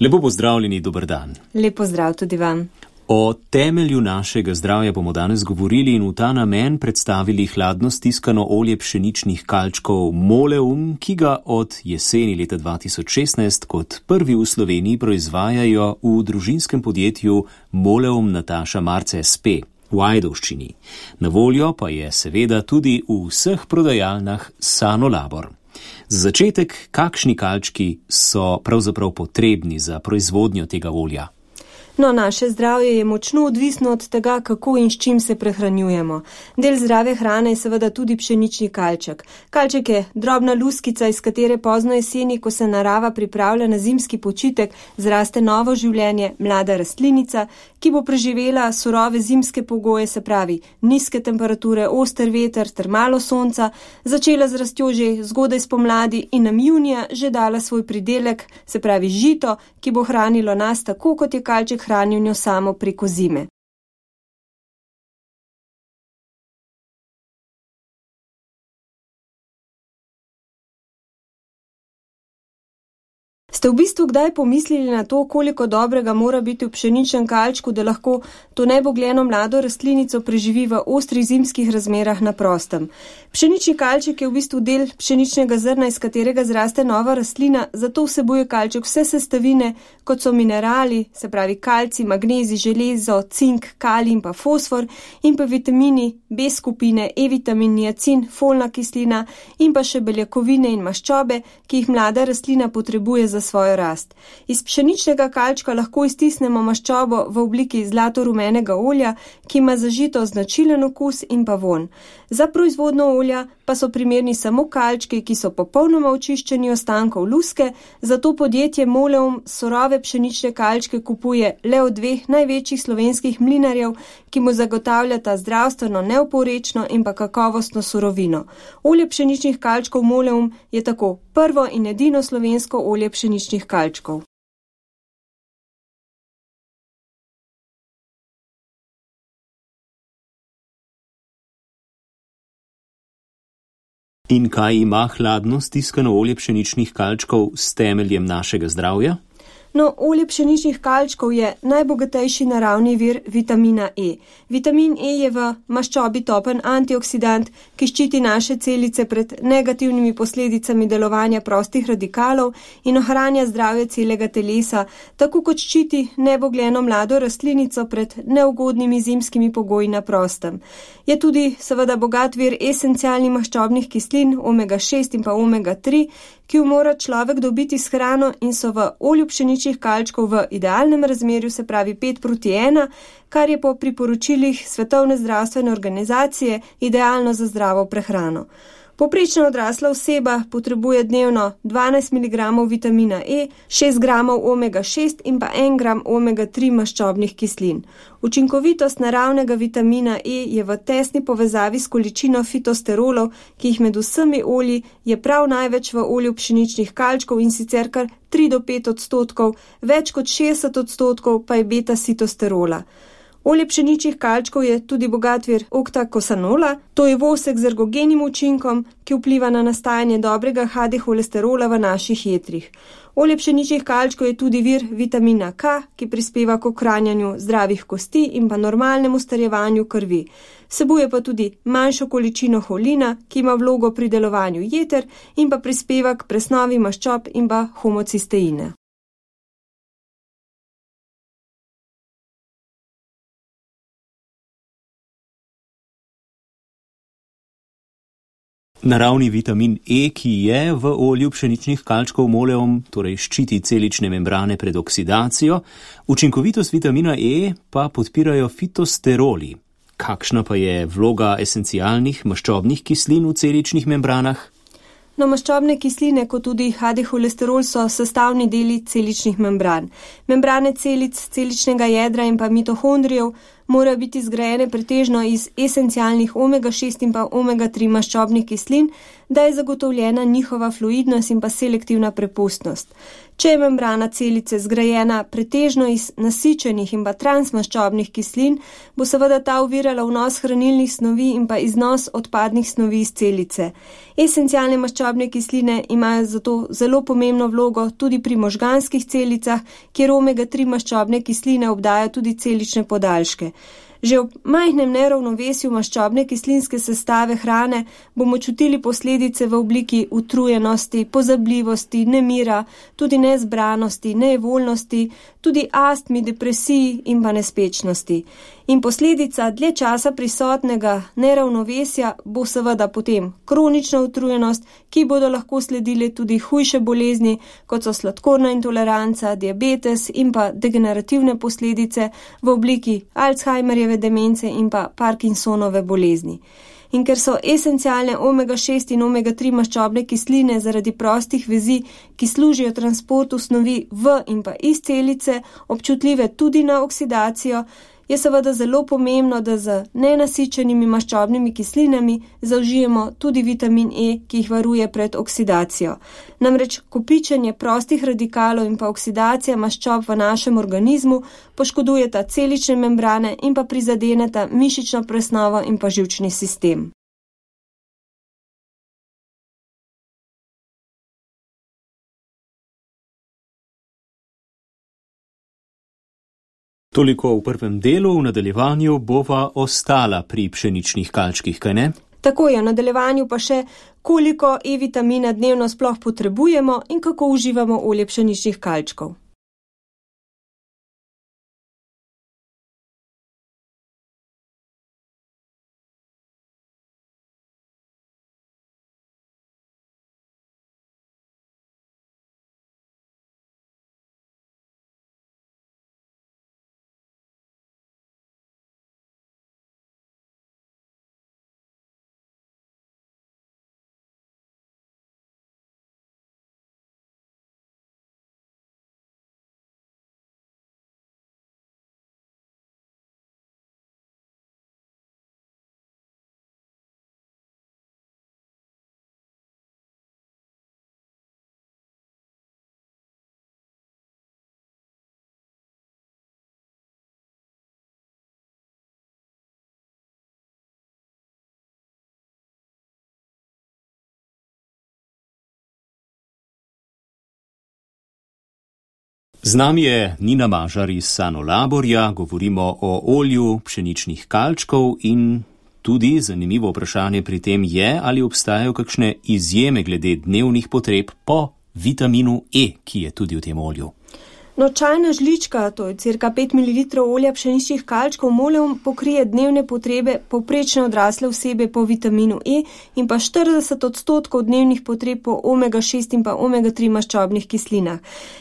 Lepo pozdravljeni, dober dan. Lep pozdrav tudi vam. O temelju našega zdravja bomo danes govorili in v ta namen predstavili hladno stiskano olje pšeničnih kalčkov Moleum, ki ga od jeseni leta 2016 kot prvi v Sloveniji proizvajajo v družinskem podjetju Moleum Nataša Marce SP v Ajdovščini. Na voljo pa je seveda tudi v vseh prodajalnah Sanolabor. Za začetek, kakšni kalčki so pravzaprav potrebni za proizvodnjo tega olja? No, naše zdravje je močno odvisno od tega, kako in s čim se prehranjujemo. Del zdrave hrane je seveda tudi pšenični kalček. Kalček je drobna luskica, iz katere pozno jeseni, ko se narava pripravlja na zimski počitek, zraste novo življenje, mlada rastlinica, ki bo preživela surove zimske pogoje, se pravi nizke temperature, oster veter ter malo sonca, začela z rastjo že zgodaj spomladi in nam junija že dala svoj pridelek, se pravi žito, ki bo hranilo nas tako, kot je kalček hranil njo samo preko zime. Ste v bistvu kdaj pomislili na to, koliko dobrega mora biti v pšeničnem kalčku, da lahko to nebogljeno mlado rastlinico preživi v ostrih zimskih razmerah na prostem? Pšenični kalček je v bistvu del pšeničnega zrna, iz katerega zraste nova rastlina, zato vsebuje kalček vse sestavine, kot so minerali, se pravi kalcij, magnezij, železo, cink, kalij in pa fosfor, in pa vitamini B skupine, E-vitamin, niacin, folna kislina in pa še beljakovine in maščobe, ki jih mlada rastlina potrebuje za svojo rast. Iz pšeničnega kalčka lahko iztisnemo maščobo v obliki zlato-rumenega olja, ki ima za žito značilen okus in pa vonj. Za proizvodnjo olja pa so primerni samo kalčki, ki so popolnoma očiščeni ostankov luske, zato podjetje Moleum surove pšenične kalčke kupuje le od dveh največjih slovenskih mlinarjev, ki mu zagotavljata zdravstveno neoporečno in pa kakovostno surovino. Olje pšeničnih kalčkov Moleum je tako prvo in edino slovensko olje pšeničnih kalčkov. In kaj ima hladno stiskano olje pšeničnih kalčkov s temeljem našega zdravja? No, olje pšeničnih kalčkov je najbogatejši naravni vir vitamina E. Vitamin E je v maščobi topen antioksidant, ki ščiti naše celice pred negativnimi posledicami delovanja prostih radikalov in ohranja zdravje celega telesa, tako kot ščiti nebogljeno mlado rastlinico pred neugodnimi zimskimi pogoji na prostem. Je tudi seveda bogat vir esencialnih maščobnih kislin, omega-6 in pa omega-3, ki jo mora človek dobiti s hrano in so v olju pšeničnih kalčkov v idealnem razmerju, se pravi 5:1, kar je po priporočilih Svetovne zdravstvene organizacije idealno za zdravo prehrano. Povprečna odrasla oseba potrebuje dnevno 12 mg vitamina E, 6 g omega-6 in pa 1 g omega-3 maščobnih kislin. Učinkovitost naravnega vitamina E je v tesni povezavi s količino fitosterolov, ki jih med vsemi olji je prav največ v olju pšeničnih kalčkov in sicer kar 3 do 5 odstotkov, več kot 60 odstotkov pa je beta-sitosterola. Olje pšeničnih kalčkov je tudi bogat vir oktakosanola, to je vosek z ergogenim učinkom, ki vpliva na nastajanje dobrega HDL-holesterola v naših jetrih. Olje pšeničnih kalčkov je tudi vir vitamina K, ki prispeva k ohranjanju zdravih kosti in pa normalnemu starjevanju krvi. Vsebuje pa tudi manjšo količino holina, ki ima vlogo pri delovanju jeter in pa prispeva k presnovi maščob in pa homocisteine. Naravni vitamin E, ki je v olju pšeničnih kalčkov Moleum, torej ščiti celične membrane pred oksidacijo, učinkovitost vitamina E pa podpirajo fitosteroli. Kakšna pa je vloga esencialnih maščobnih kislin v celičnih membranah? No, maščobne kisline, kot tudi HDL-holesterol, so sestavni deli celičnih membran. Membrane celic, celičnega jedra in pa mitohondrijev morajo biti zgrajene pretežno iz esencialnih omega-6 in pa omega-3 maščobnih kislin, da je zagotovljena njihova fluidnost in pa selektivna prepustnost. Če je membrana celice zgrajena pretežno iz nasičenih in pa transmaščobnih kislin, bo seveda ta ovirala vnos hranilnih snovi in pa iznos odpadnih snovi iz celice. Esencialne maščobne kisline imajo zato zelo pomembno vlogo tudi pri možganskih celicah, kjer omega-3 maščobne kisline obdajajo tudi celične podaljške. Že ob majhnem neravnovesju maščobne kislinske sestave hrane bomo čutili posledice v obliki utrujenosti, pozabljivosti, nemira, tudi nezbranosti, nejevoljnosti, tudi astmi, depresiji in pa nespečnosti. In posledica dlje časa prisotnega neravnovesja bo seveda potem kronična utrujenost, ki bodo lahko sledile tudi hujše bolezni, kot so sladkorna intoleranca, diabetes in pa degenerativne posledice v obliki Alzheimerjeve demence in pa Parkinsonove bolezni. In ker so esencialne omega-6 in omega-3 maščobne kisline zaradi prostih vezi, ki služijo transportu snovi v in pa iz celice, občutljive tudi na oksidacijo, je seveda zelo pomembno, da z nenasičenimi maščobnimi kislinami zaužijemo tudi vitamin E, ki jih varuje pred oksidacijo. Namreč kopičenje prostih radikalov in pa oksidacija maščob v našem organizmu poškodujeta celične membrane in pa prizadeneta mišično presnovo in pa živčni sistem. Toliko v prvem delu, v nadaljevanju bova ostala pri pšeničnih kalčkih, kaj ne? Tako je, v nadaljevanju pa še, koliko E-vitamina dnevno sploh potrebujemo in kako uživamo olje pšeničnih kalčkov. Z nami je Nina Mažar iz Sanolaborja, govorimo o olju pšeničnih kalčkov in tudi zanimivo vprašanje pri tem je, ali obstajajo kakšne izjeme glede dnevnih potreb po vitaminu E, ki je tudi v tem olju. No, čajna žlička, to je cirka 5 ml olja pšeničnih kalčkov moleum, pokrije dnevne potrebe povprečne odrasle osebe po vitaminu E in pa 40% dnevnih potreb po omega-6 in pa omega-3 maščobnih kislinah.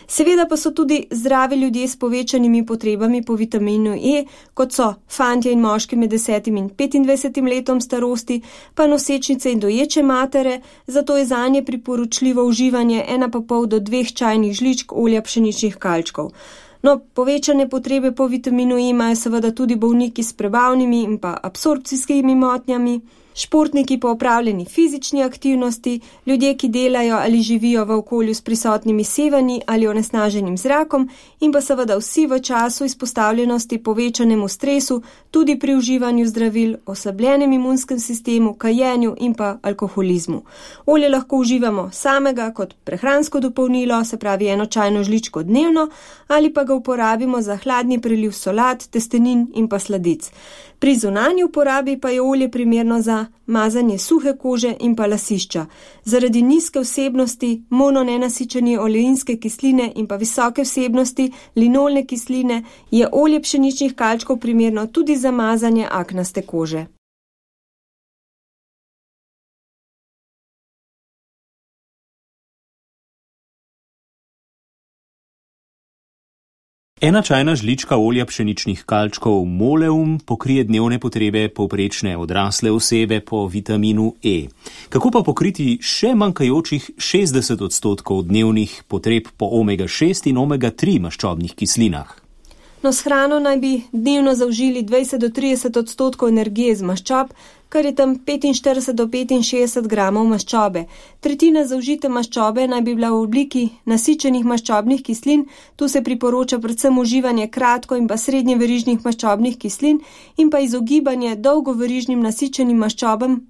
Seveda pa so tudi zdravi ljudje s povečanimi potrebami po vitaminu E, kot so fantje in moški med 10 in 25 letom starosti, pa nosečnice in doječe matere, zato je zanje priporočljivo uživanje 1,5 do 2 čajnih žličk olja pšeničnih kalčkov. No, povečane potrebe po vitaminu E imajo seveda tudi bolniki s prebavnimi in pa absorpcijskimi motnjami, športniki po opravljeni fizični aktivnosti, ljudje, ki delajo ali živijo v okolju s prisotnimi sevanji ali onesnaženim zrakom in pa seveda vsi v času izpostavljenosti povečanemu stresu, tudi pri uživanju zdravil, oslabljenem imunskem sistemu, kajenju in pa alkoholizmu. Olje lahko uživamo samega kot prehransko dopolnilo, se pravi 1 čajno žličko dnevno, ali pa ga uporabimo za hladni preliv solat, testenin in pa sladic. Pri zunanji uporabi pa je olje primerno za mazanje suhe kože in pa lasišča. Zaradi nizke vsebnosti mononenasičene oleinske kisline in pa visoke vsebnosti linolne kisline je olje pšeničnih kalčkov primerno tudi za mazanje aknaste kože. Ena čajna žlička olja pšeničnih kalčkov moleum pokrije dnevne potrebe povprečne odrasle osebe po vitaminu E. Kako pa pokriti še manjkajočih 60% dnevnih potreb po omega-6 in omega-3 maščobnih kislinah? No, s hrano naj bi dnevno zaužili 20 do 30% energije iz maščob, kar je tam 45 do 65 gramov maščobe. Tretjina zaužite maščobe naj bi bila v obliki nasičenih maščobnih kislin, tu se priporoča predvsem uživanje kratko in pa srednjeverižnih maščobnih kislin in pa izogibanje dolgoverižnim nasičenim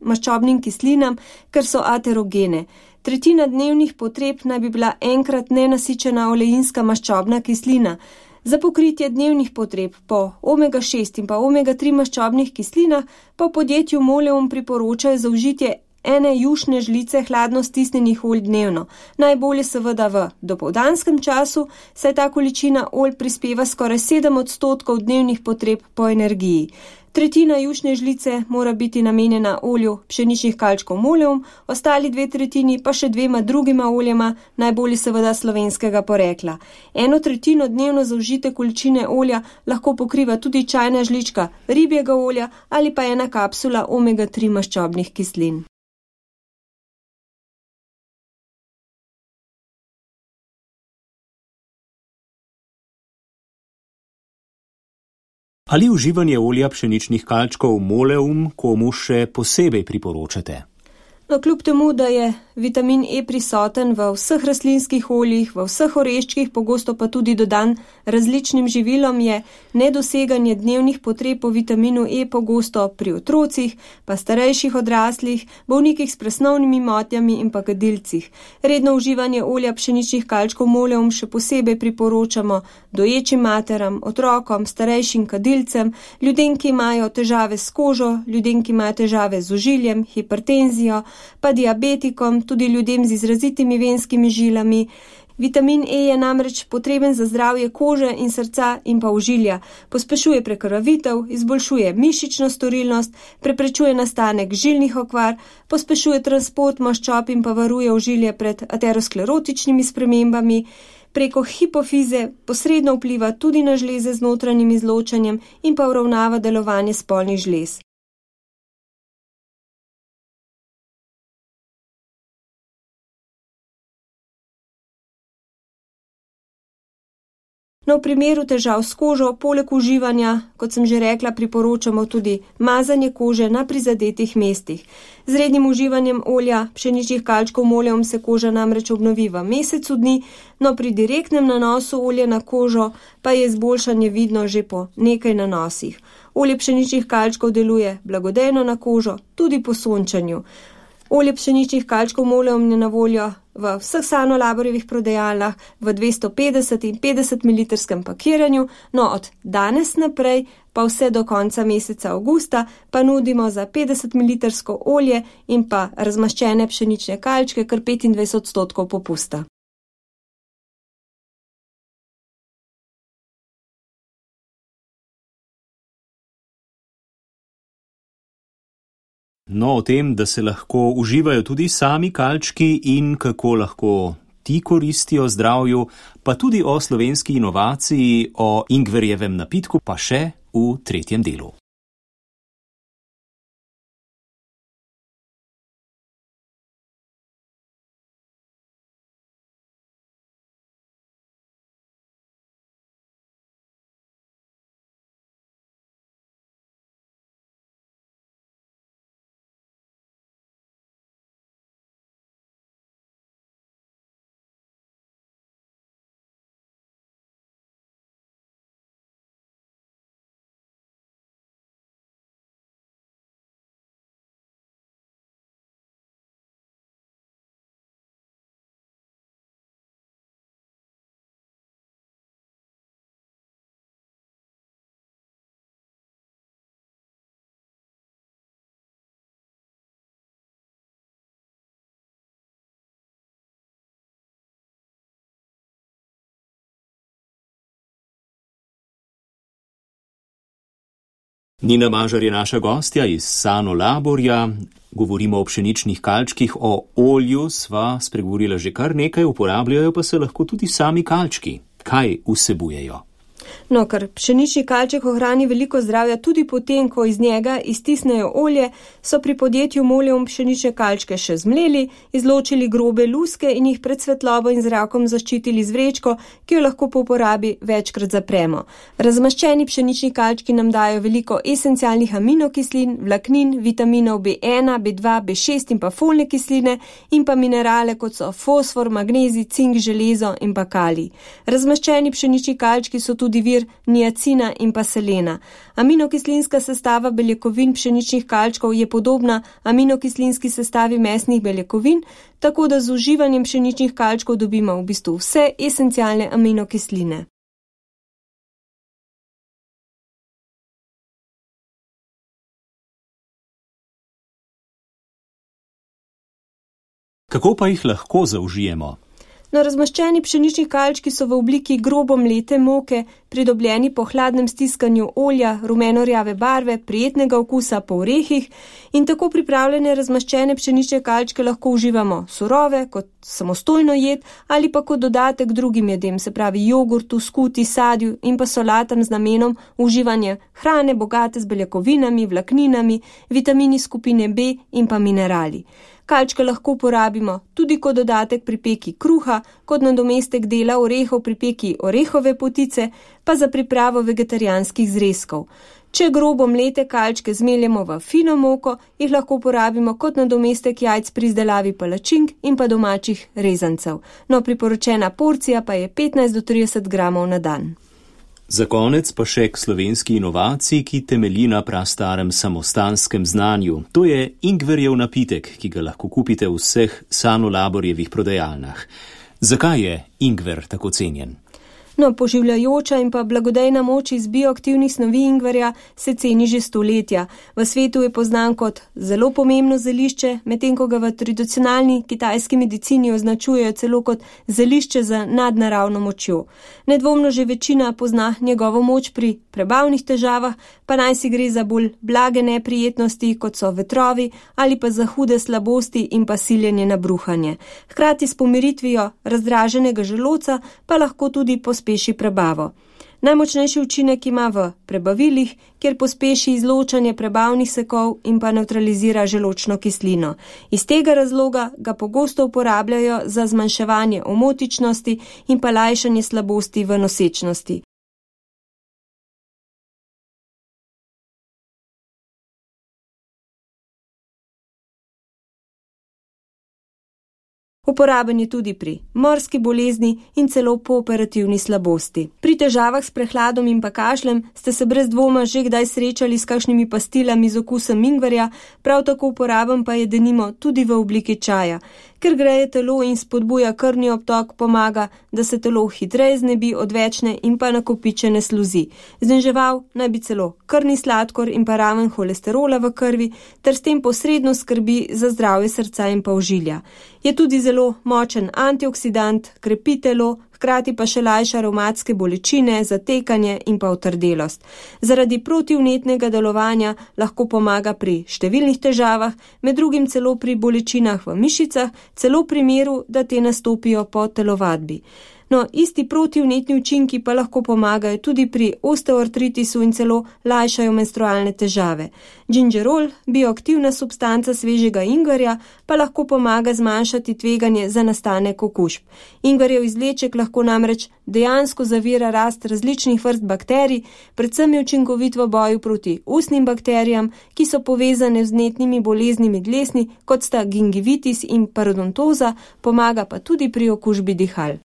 maščobnim kislinam, ker so aterogene. Tretjina dnevnih potreb naj bi bila enkrat nenasičena oleinska maščobna kislina. Za pokritje dnevnih potreb po omega-6 in pa omega-3 maščobnih kislinah pa v podjetju Moleum priporočajo zaužitje 1 jušne žlice hladno stisnjenih olj dnevno. Najbolje seveda v dopoldanskem času, saj ta količina olj prispeva skoraj 7% dnevnih potreb po energiji. Tretjina jušne žlice mora biti namenjena olju pšeničnih kalčkov Moleum, ostali 2/3 pa še 2 drugima oljema, najbolje seveda slovenskega porekla. 1/3 dnevno zaužite količine olja lahko pokriva tudi čajna žlička ribjega olja ali pa 1 kapsula omega-3 maščobnih kislin. Ali uživanje olja pšeničnih kalčkov Moleum komu še posebej priporočate? No, kljub temu, da je vitamin E prisoten v vseh rastlinskih oljih, v vseh oreščkih, pogosto pa tudi dodan različnim živilom, je nedoseganje dnevnih potreb po vitaminu E pogosto pri otrocih, pa starejših odraslih, bolnikih s presnovnimi motnjami in pa kadilcih. Redno uživanje olja pšeničnih kalčkov Moleum še posebej priporočamo doječim materam, otrokom, starejšim kadilcem, ljudem, ki imajo težave s kožo, ljudem, ki imajo težave z ožiljem, hipertenzijo, pa diabetikom, tudi ljudem z izrazitimi venskimi žilami. Vitamin E je namreč potreben za zdravje kože in srca in pa ožilja. Pospešuje prekrvavitev, izboljšuje mišično storilnost, preprečuje nastanek žilnih okvar, pospešuje transport maščob in pa varuje ožilje pred aterosklerotičnimi spremembami. Preko hipofize posredno vpliva tudi na žleze z notranjim izločanjem in pa uravnava delovanje spolnih žlez. No, v primeru težav s kožo, poleg uživanja, kot sem že rekla, priporočamo tudi mazanje kože na prizadetih mestih. Z rednim uživanjem olja pšeničnih kalčkov Moleum se koža namreč obnovi v mesecu dni, no pri direktnem nanosu olja na kožo pa je izboljšanje vidno že po nekaj nanosih. Olje pšeničnih kalčkov deluje blagodejno na kožo, tudi po sončanju. Olje pšeničnih kalčkov Moleum je na voljo v vseh Sanolaborjevih prodajalnah v 250 in 50 ml pakiranju, no od danes naprej pa vse do konca meseca avgusta pa nudimo za 50 ml olje in pa razmaščene pšenične kalčke kar 25% popusta. No, o tem, da se lahko uživajo tudi sami kalčki in kako lahko ti koristijo zdravju, pa tudi o slovenski inovaciji, o ingverjevem napitku, pa še v tretjem delu. Nina Mažar je naša gostja iz Sanolaborja. Govorimo o pšeničnih kalčkih, o olju sva spregovorila že kar nekaj, uporabljajo pa se lahko tudi sami kalčki. Kaj vsebujejo? No, ker pšenični kalček ohrani veliko zdravja tudi potem, ko iz njega iztisnejo olje, so pri podjetju Moleum pšenične kalčke še zmleli, izločili grobe luske in jih pred svetlobo in zrakom zaščitili z vrečko, ki jo lahko po uporabi večkrat zapremo. Razmaščeni pšenični kalčki nam dajo veliko esencialnih aminokislin, vlaknin, vitaminov B1, B2, B6 in pa folne kisline in pa minerale, kot so fosfor, magnezij, cink, železo in pa kalij. Razmaščeni pšenični kalčki so tudi vir niacina in pa selena. Aminokislinska sestava beljakovin pšeničnih kalčkov je podobna aminokislinski sestavi mesnih beljakovin, tako da z uživanjem pšeničnih kalčkov dobimo v bistvu vse esencialne aminokisline. Kako pa jih lahko zaužijemo? No, razmaščeni pšenični kalčki so v obliki grobo mlete moke, pridobljeni po hladnem stiskanju olja, rumeno-rjave barve, prijetnega okusa po orehih in tako pripravljene razmaščene pšenične kalčke lahko uživamo surove, kot samostojno jed ali pa kot dodatek drugim jedem, se pravi jogurtu, skuti, sadju in pa solatam z namenom uživanja hrane bogate z beljakovinami, vlakninami, vitamini skupine B in pa minerali. Kalčke lahko uporabimo tudi kot dodatek pri peki kruha, kot nadomestek dela orehov pri peki orehove potice, pa za pripravo vegetarijanskih zrezkov. Če grobo mlete kalčke zmeljemo v fino moko, jih lahko uporabimo kot nadomestek jajc pri izdelavi palačink in pa domačih rezancev. No, priporočena porcija pa je 15 do 30 gramov na dan. Za konec pa še k slovenski inovaciji, ki temelji na prastarem samostanskem znanju. To je ingverjev napitek, ki ga lahko kupite v vseh Sanolaborjevih prodajalnah. Zakaj je ingver tako cenjen? No, poživljajoča in pa blagodejna moč iz bioaktivnih snovi ingverja se ceni že stoletja. V svetu je poznan kot zelo pomembno zelišče, medtem ko ga v tradicionalni kitajski medicini označujejo celo kot zelišče z nadnaravno močjo. Nedvomno že večina pozna njegovo moč pri prebavnih težavah, pa naj si gre za bolj blage neprijetnosti, kot so vetrovi, ali pa za hude slabosti in pa siljenje na bruhanje. Hkrati s pomiritvijo razdraženega želodca pa lahko tudi pospeši prebavo. Najmočnejši učinek ima v prebavilih, kjer pospeši izločanje prebavnih sekov in pa nevtralizira želodčno kislino. Iz tega razloga ga pogosto uporabljajo za zmanjševanje omotičnosti in pa lajšanje slabosti v nosečnosti. Uporaben je tudi pri morski bolezni in celo po operativni slabosti. Pri težavah s prehladom in pa kašljem ste se brez dvoma že kdaj srečali s kakšnimi pastilami z okusom ingverja, prav tako uporaben pa je denimo tudi v obliki čaja. Ker greje telo in spodbuja krvni obtok, pomaga, da se telo hitreje znebi odvečne in pa nakopičene sluzi. Zniževal naj bi celo krvni sladkor in pa raven holesterola v krvi, ter s tem posredno skrbi za zdravje srca in pa ožilja. Je tudi zelo močen antioksidant, krepi telo, hkrati pa še lajša revmatske bolečine, zatekanje in pa otrdelost. Zaradi protivnetnega delovanja lahko pomaga pri številnih težavah, med drugim celo pri bolečinah v mišicah, celo v primeru, da te nastopijo po telovadbi. No, isti protivnetni učinki pa lahko pomagajo tudi pri osteoartritisu in celo lajšajo menstrualne težave. Gingerol, bioaktivna substanca svežega ingverja, pa lahko pomaga zmanjšati tveganje za nastanek okužb. Ingverjev izvleček lahko namreč dejansko zavira rast različnih vrst bakterij, predvsem je učinkovit v boju proti ustnim bakterijam, ki so povezane z vnetnimi boleznimi dlesni, kot sta gingivitis in parodontoza, pomaga pa tudi pri okužbi dihal.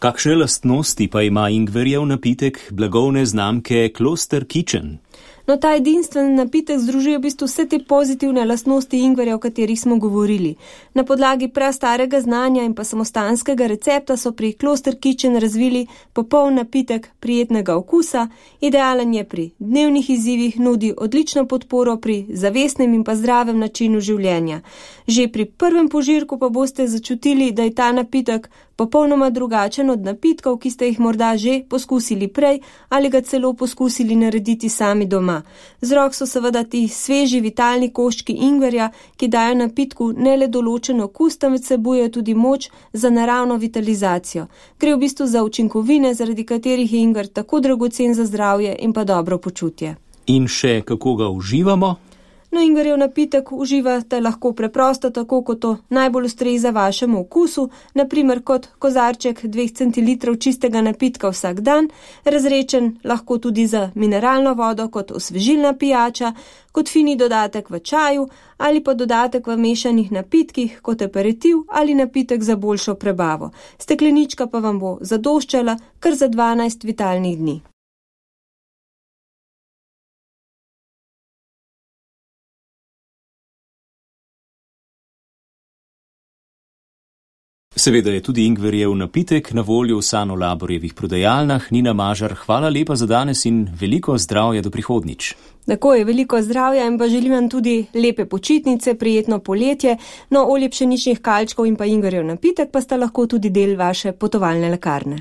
Kakšne lastnosti pa ima ingverjev napitek blagovne znamke Kloster Kitchen? No, ta edinstven napitek združuje v bistvu vse te pozitivne lastnosti ingverja, o katerih smo govorili. Na podlagi prastarega znanja in pa samostanskega recepta so pri Kloster Kitchen razvili popoln napitek prijetnega okusa, idealen je pri dnevnih izzivih, nudi odlično podporo pri zavestnem in pa zdravem načinu življenja. Že pri prvem požirku pa boste začutili, da je ta napitek popolnoma drugačen od napitkov, ki ste jih morda že poskusili prej ali ga celo poskusili narediti sami doma. doma. Vzrok so seveda ti sveži vitalni koščki ingverja, ki dajo napitku ne le določen okus, temveč vsebujejo tudi moč za naravno vitalizacijo. Gre v bistvu za učinkovine, zaradi katerih je ingver tako dragocen za zdravje in pa dobro počutje. In še kako ga uživamo? No, ingverjev napitek uživate lahko preprosto, tako kot to najbolj ustreza vašemu okusu, naprimer kot kozarček 2 centilitrov čistega napitka vsak dan, razrečen lahko tudi za mineralno vodo kot osvežilna pijača, kot fini dodatek v čaju ali pa dodatek v mešanih napitkih kot aperitiv ali napitek za boljšo prebavo. Steklenička pa vam bo zadoščala kar za 12 vitalnih dni. Seveda je tudi ingverjev napitek na voljo v Sano Laborjevih prodajalnah. Nina Mažar, hvala lepa za danes in veliko zdravja do prihodnjič. Tako je, veliko zdravja in pa želim vam tudi lepe počitnice, prijetno poletje. No, olje pšeničnih kalčkov in pa ingverjev napitek pa sta lahko tudi del vaše potovalne lekarne.